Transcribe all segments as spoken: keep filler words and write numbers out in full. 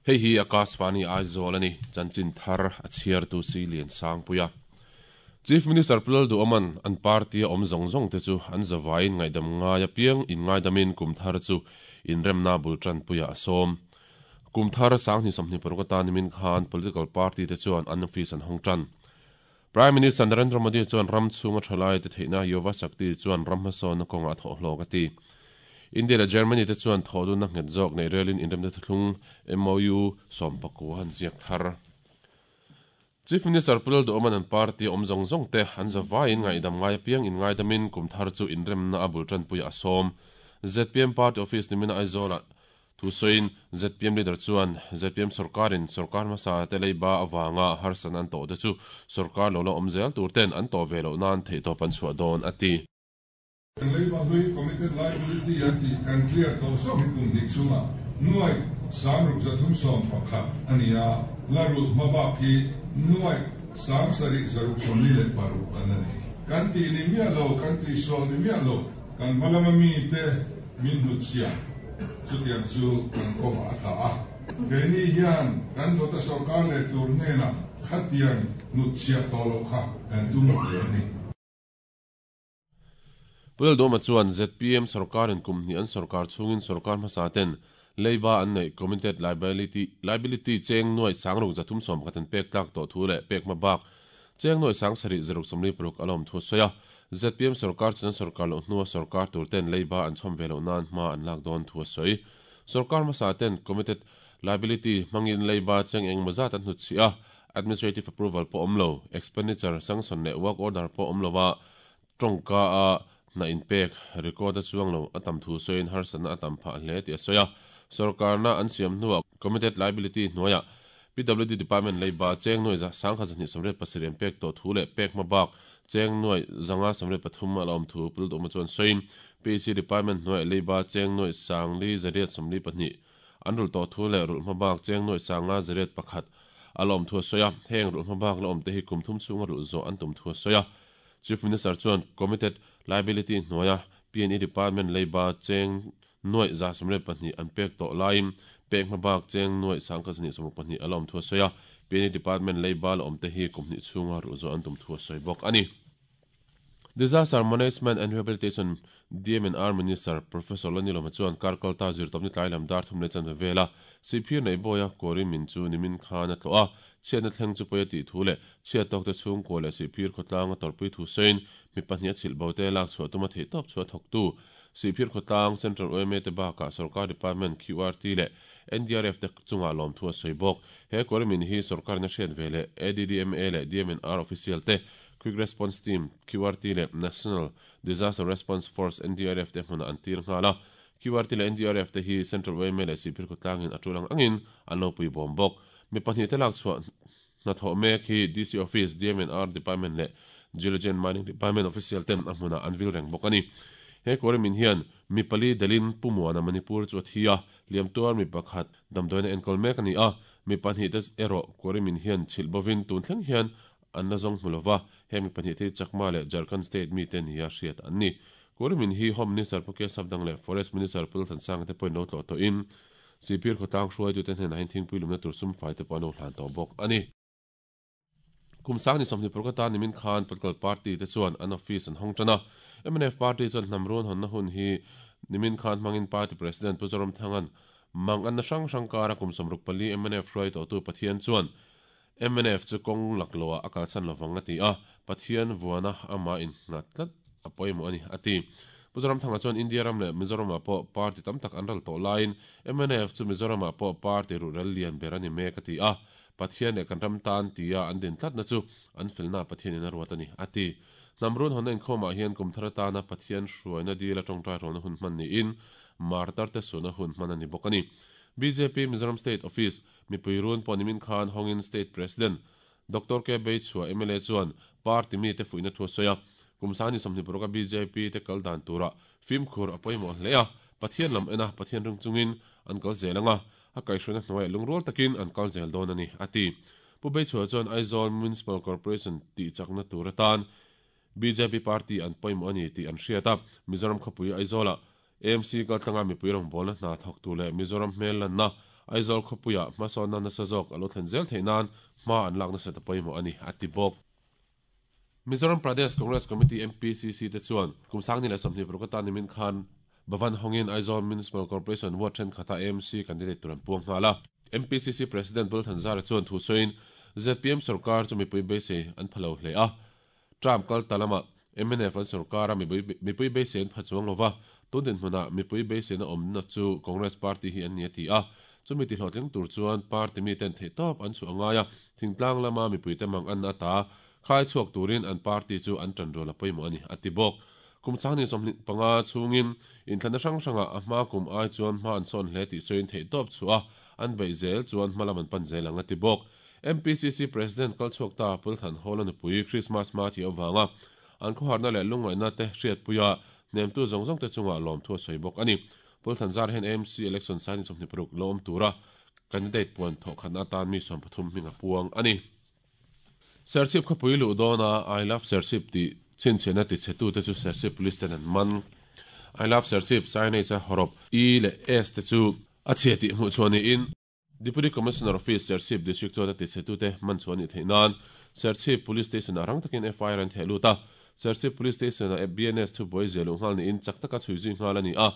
Hei hi Akashvani Aizawl ani chanchin thar a chhiar tu si lian sang puia. Chief Minister Pulal du Oman an party om zong zong te chu an zawain ngaidam ngai piang in ngaidamin kumthar chu inremna bultran puia asom. Kumthar sang ni somni parukata nimin khan political party te chuan an office an hongtran. Prime Minister Narendra Modi chuan ram chunga thalai te theina Yuva Shakti chuan ram hmasawn na kawnga thaw hlawk a ti. India le Germany te chuan thaw dun na nghet zawk nei relin inremna thlung M O U sawm pakua an ziak thar. Chief Minister Pulal du Oman an party om zong zong te an zawain ngaidam ngai piang in ngaidamin kumthar chu inremna a bultran puia asom. Z P M party office nimina Aizawl thu soin Z P M leader chuan Z P M sarkarin sarkar hmasa te leiba awanga harsan an to te chu sarkar lo la awmzel tur ten an to ve lo nan thei tawp an chhuah dawn a ti. Leiba hlui committed liability an ti kan clear to som hi kum dik chunga nuai sangruk zathum som pakhat ania laru mabak hi nuai sang sari zaruk somni le paruk anani kan ti ni mia lo kan ti sol ni mia lo kan malama mi te min hutsia chutiang chu kan kawng a tha a keini hian kan dawta sarkar leh tur hnenah khatiang nutchhia tawh loh kha kan tum hle a ni. Pulal Doma chuan Z P M sarkarin kum hnih an sarkar chungin sarkar hmasa ten leiba an nei committed liability liability cheng nuai sangruk zathum som khatin pek tlak to thu le pek ma bak cheng nuai sang sari zaruk somli paruk alom thu soya. Z P M sarkar chuan sarkar lo hnuwa sarkar tur ten leiba an chhom velo nan hma an lak dawn thu soi. Sarkar hmasa ten committed liability mangin leiba cheng eng mazat an hnu a administrative approval po omlo expenditure sanction le work order po omlowa tongka a na in pek record a chuang lo atam thu soin harsan atam pha hle ti soya. Sarkar na an siam hnuwa committed liability hnuaya P W D department leiba cheng noi za sangkha zani somre pasirem pek to thu le pek ma bak cheng noi zanga somre pathum alom thu pul do ma chuan soin P C department noi leiba cheng noi sangli zariat somli pahni anrul to thu le rul ma bak cheng noi sanga zariat pakhat alom thu soya heng rul ma bak lom te hi kum thum chunga rul zo an tum thu soya. Chief Minister chuan committed liability hnuaya P N E department leiba cheng noi za somre pahni an pek to laim pek ma bak cheng noi sangkha zani somruk pahni alom thu soya P N E department leiba lom te hi kumni chunga ru zo an tum thu soi bok ani. Disaster Management and Rehabilitation D M N R Minister Professor Lani Loma chuan karkalta zir topni tlailam dar thum le chan vela Sipir nei boya kori min chu nimin khan a tlo a chian na thleng chu poya ti thu le chia tok te chung ko le Sipir khotlang a torpui thu sein mi pahnih a chhil bote lak chhuah tuma thei tawp chhuah thawk tu Sipir khotlang Central O M A te baka sarkar department Q R T le N D R F te chunga lawm thu a sawi bawk. He kori min hi sarkar na hriat ve le A D D M A le D M N R official te Quick Response Team Q R T le National Disaster Response Force N D R F te hmuna an tir nghala Q R T le N D R F te hi Central O M A le Sipir khotlang in atulang angin an lo pui bawm bawk. Mi pahnih te lak chhuah hna thawh mek hi D C Office D M N R Department le Geology and Mining Department official ten a hmuna an vil reng bawk ani. He kori min hian mi pali dalin pumuana Manipur chu a thi a liamtuar mi pakhat damdawiina enkawl mek ani a mi pahnih te erawh kori min hian chhilh bovin tun thleng hian an la zawng hmulova he mi pahnih te Chakma le Jharkhand state mi te ni a hriat an ni. Kori min hi Home Minister Puke Sabdang le Forest Minister Pul Thansang te pawhin lo tlawh tawh in Sipir khawtlang hruai tu te hnenah hian thingpui lumna tur sum fai te pawh an lo hlan tawh bawk ani. Kum sang ni sawmhnih parukata nimin khan political party te chuan an office an hawng tan a M N F party chuan hnamrun hawnna hun hi nimin khan hmangin party president Pu Zoram Thangan mang an na hrang hrang kara kum sawmruk pali M N F hruai tawh tu Pathian chuan M N F chu kawng lakloa a kalsan lovang a ti a Pathian vuana ama in nghat tlat a pawimawh ani a ti. Pu Zoram Thanga chuan India ram le Mizoram ah pawh party tam tak an ral tawh laiin M N F chu Mizoram ah pawh party rural lian ber ani mek a ti a Pathian le kan ram tan tia an din tlat na chu an felna Pathian in a ruat ani a ti. Namrun honna inkhawmah hian kum thar atana Pathian hruaina dil a tawngtai rawlna hun hman niin martar te suna hun hman ani bawk ani. B J P Mizoram State Office mipui run pawh nimin khan hawngin State President Doctor K Beichhua M L A chuan party mi te fuihna thu a sawi a kum sani sawmhnih paruk a B J P te kal dan tura fimkhur a pawimawh hle a Pathian lam ena Pathian ring chungin an kal zel anga a kaihhruaina hnuaiah lungrual takin an kal zel dawn ani a ti. Pu Beichhua chuan Aizawl Municipal Corporation tih chakna tur atan B J P party an pawimawh ani tih an hriat a Mizoram khawpui Aizawla A M C kaltlanga mipui rawngbawlna hna thawk tu le Mizoram hmel lanna Aizawl khawpuia hmasawnna nasa zawk a lo thlen zel theih nan hma an lak nasa ta pawimawh a ni a ti bawk. Mizoram Pradesh Congress Committee M P C C te chuan kum sangni leh sawmhnih paruk atan nimin khan Bhavan hawngin Aizawl Municipal Corporation ward thenkhatah A M C candidate tur an puang nghal a. M P C C President Bulthanzara chuan thu sawiin Z P M sarkar chu mipui beisei an phalo hle a. Trump kal talama M N F an sarkara mipui beisei an pha chuang lova tun din hmunah mipui beisei na awmna chu Congress Party hi an ni a ti a. Chumi ti hlawhtling tur chuan party mi ten theih tawp an chu angai a thingtlang lama mipui te mang an ata khai chhuak turin an party chu an tan rual a pawimawh ani a ti bawk. Kum sangni sawmhnih panga chungin inthlana hrang hranga a hma kum ai chuan hma an sawn hle tih sawiin theih tawp chu a an beih zel chuan hma lam an pan zel ang a ti bawk. M P C C President kalchhuak ta Pulthan Hall a nupui Christmas ma thi awanga an khawharna leh lungngaihna te hriatpuia hnemtu zawng zawng te chunga lawm thu a sawi bawk ani. Pulthan zar hen A M C election sangni sawmhnih paruk lawm tura candidate puan thawh khatna atan mi sawm pathum hming a puang ani. Serchhip khawpui luh dawna I love Serchhip ti chinchhiahna ti chhetu te chu Serchhip Police ten an man. I love Serchhip signage a horop E leh S te chu a chhia tih hmuh chuan niin Deputy Commissioner Office Serchhip District chuan a ti chhetu te man chuan ni theih nan Serchhip Police Station a rang takin F I R an theh lut a. Serchhip Police Station a B N S thu buai zel nghal niin chak taka chhui zui nghal ani a.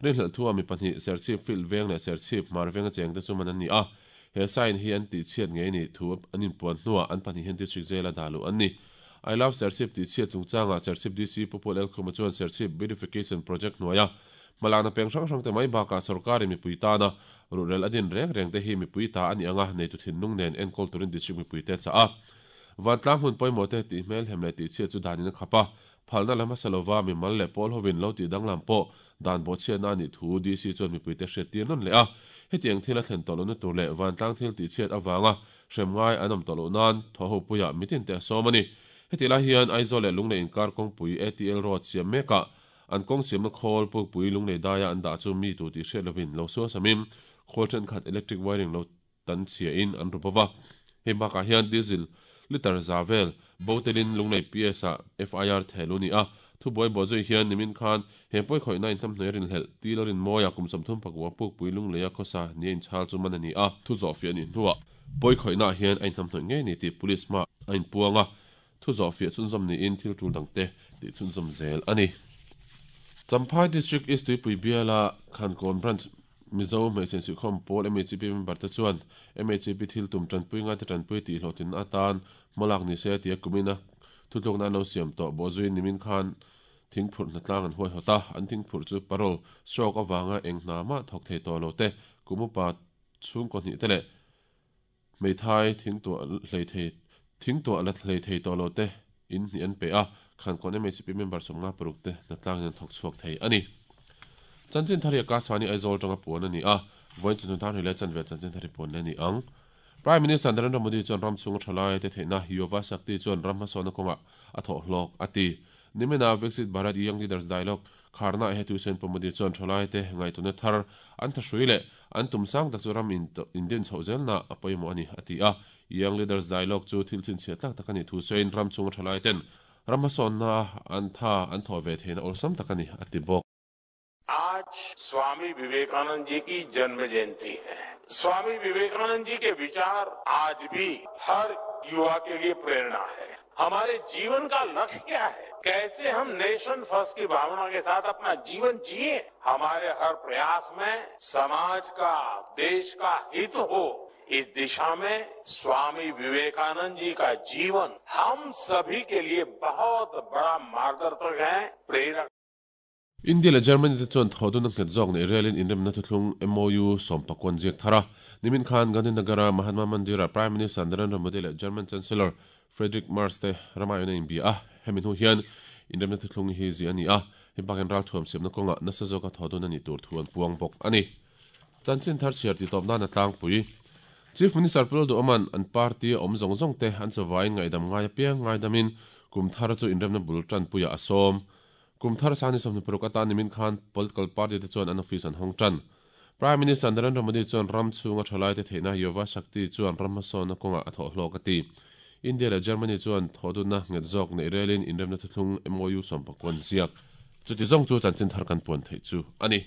Rinhlelh thu a mi pahnih Serchhip Field veng leh Serchhip Hmar venga cheng te chu man an ni a. He sign hi an ti chhiat ngei ni thu an inpuan hnuah an pahnih hian district jail a dah luh an ni. I love Serchhip ti chhiat chungchanga Serchhip D C Pupul Elkhuma chuan Serchhip Beautification Project hnuaia hmalakna peng hrang hrang te mai bakah sarkari mipui tana ruhrel a din reng reng te hi mipui ta ani anga neitu thinlung nen enkawl turin district mipui te cha a. Vantlang hmun pawimawh te tih hmel hem leh tih chhiat chu danin a khap a. Phalna lam hmasa mi mal leh pawl hovin lo tih danglam pawh dan bawh chhiatna ani thu D C chuan mipui te hriat tir nawn leh a. Hetiang thil a thlen tawh lohna tur leh vantlang thil tih chhiat awanga hrem ngai an awm tawh loh nan thaw ho puia mitin te a sawm ani. Heti lai hian Aizawl leh Lunglei inkar kawngpui A T L road siam mekah an kawng siamna khawl pukpui Lunglei daia an dah chu mi tu tih hriat lovin lo sual samin khawl thenkhat electric wiring lo tan chhia in an ru bawk a. Hei bakah hian diesel liter zavel botelin Lunglei P S a F I R thelu ni a. Thu buai bawh zui hian nimin khan he pawi khawihna inhnam hnuai rin hlelh til a rin mawia kum sawmthum pakua pukpui Lunglei a khawsa ni a inchhal chu man ani a. Thu zawh fiah ni hnuah pawi khawihna hian a inhnam hnuai ngei ni tih police hma a inpuang a. Thu zawh fiah chhunzawm niin thil tul dang te tih chhunzawm zel ani. Champhai District East Tuipui Biala Khankawn Branch Mizo hmeichhe insuihkhawm pawl M H P member te chuan M H P thil tum tanpui ngai te tanpui tih hlawhtlin atan hmalak ni se tia kumina thutlukna an lo siam tawh bawh zuiin nimin khan thingphurh hnatlang an huai hawt a. An thingphurh chu parol stroke awanga eng hna mah thawk thei tawh lo te kumupa chhungkaw hnih te leh hmeithai thingtuah hlei thei thingtuah la hlei thei tawh lo te in hnih an pe a. Khankawn M H P member sawmnga paruk te hnatlang an thawk chhuak thei ani. Chanchin thari a Kaswani Aizawl tanga puan ani a. Vawiin chunhun thar hrileh chanve chanchin thari puan le ni ang. Prime Minister Narendra Modi chuan ram chhunga thalai te theihna Yuva Shakti chuan ram hmasawnna kawnga a thawh hlawk a ti. Nimina Viksit Bharat Young Leaders Dialogue kharna he tuisen pu Modi chuan thalai te ngaituna thar an tha hrui leh an tum sang tak chu ram in indin chho zelna a pawimawh ani a ti a. Young Leaders Dialogue chu thil chin chhiat tlak tak ani thu sawiin ram chhunga thalai ten ram hmasawnna an tha an thaw ve theihna awlsam tak ani a ti bawk. आज स्वामी विवेकानंद जी की जन्म जयंती है। स्वामी विवेकानंद जी के विचार आज भी हर युवा के लिए प्रेरणा है। हमारे जीवन का लक्ष्य क्या है, कैसे हम नेशन फर्स्ट की भावना के साथ अपना जीवन जिए, हमारे हर प्रयास में समाज का, देश का हित हो, इस दिशा में स्वामी विवेकानंद जी का जीवन हम सभी के लिए बहुत बड़ा मार्गदर्शक है, प्रेरक। India le Germany te chuan thodun nghet zawk nei relin inremna thuthlung M O U sawmpakwan ziak thara. Nimin khan Gandhinagara Mahatma Mandira Prime Minister Narendra Modi le German Chancellor Friedrich Merz te ramayona in bia a. Hemi hnu hian inremna thuthlung hi zi ani a. Hei bakin ral thuam siamna kawnga nasa zawka thodun ani tur thu an puang bawk ani. Chanchin thar chhiar ti tawp nan a tlangpui. Chief Minister Pul Duh-Oman an party awm zawng zawng te an chawain ngaidam ngai apiang ngaidamin kum thar chu inremna bul tan puia a sawm. Kum thar sani sawmhnih paruk atan nimin khan political party te chuan an office an hawng tan. Prime Minister Narendra Modi chuan ram chhunga thalai te theihna Yuva Shakti chuan ram hmasawnna kawnga a thawh hlawk a ti. India le Germany chuan thodunna nghet zawk nei relin inremna thuthlung M O U sawmpakwan ziak. Chuti zawng chu chanchin thar kan puan theih chu ani.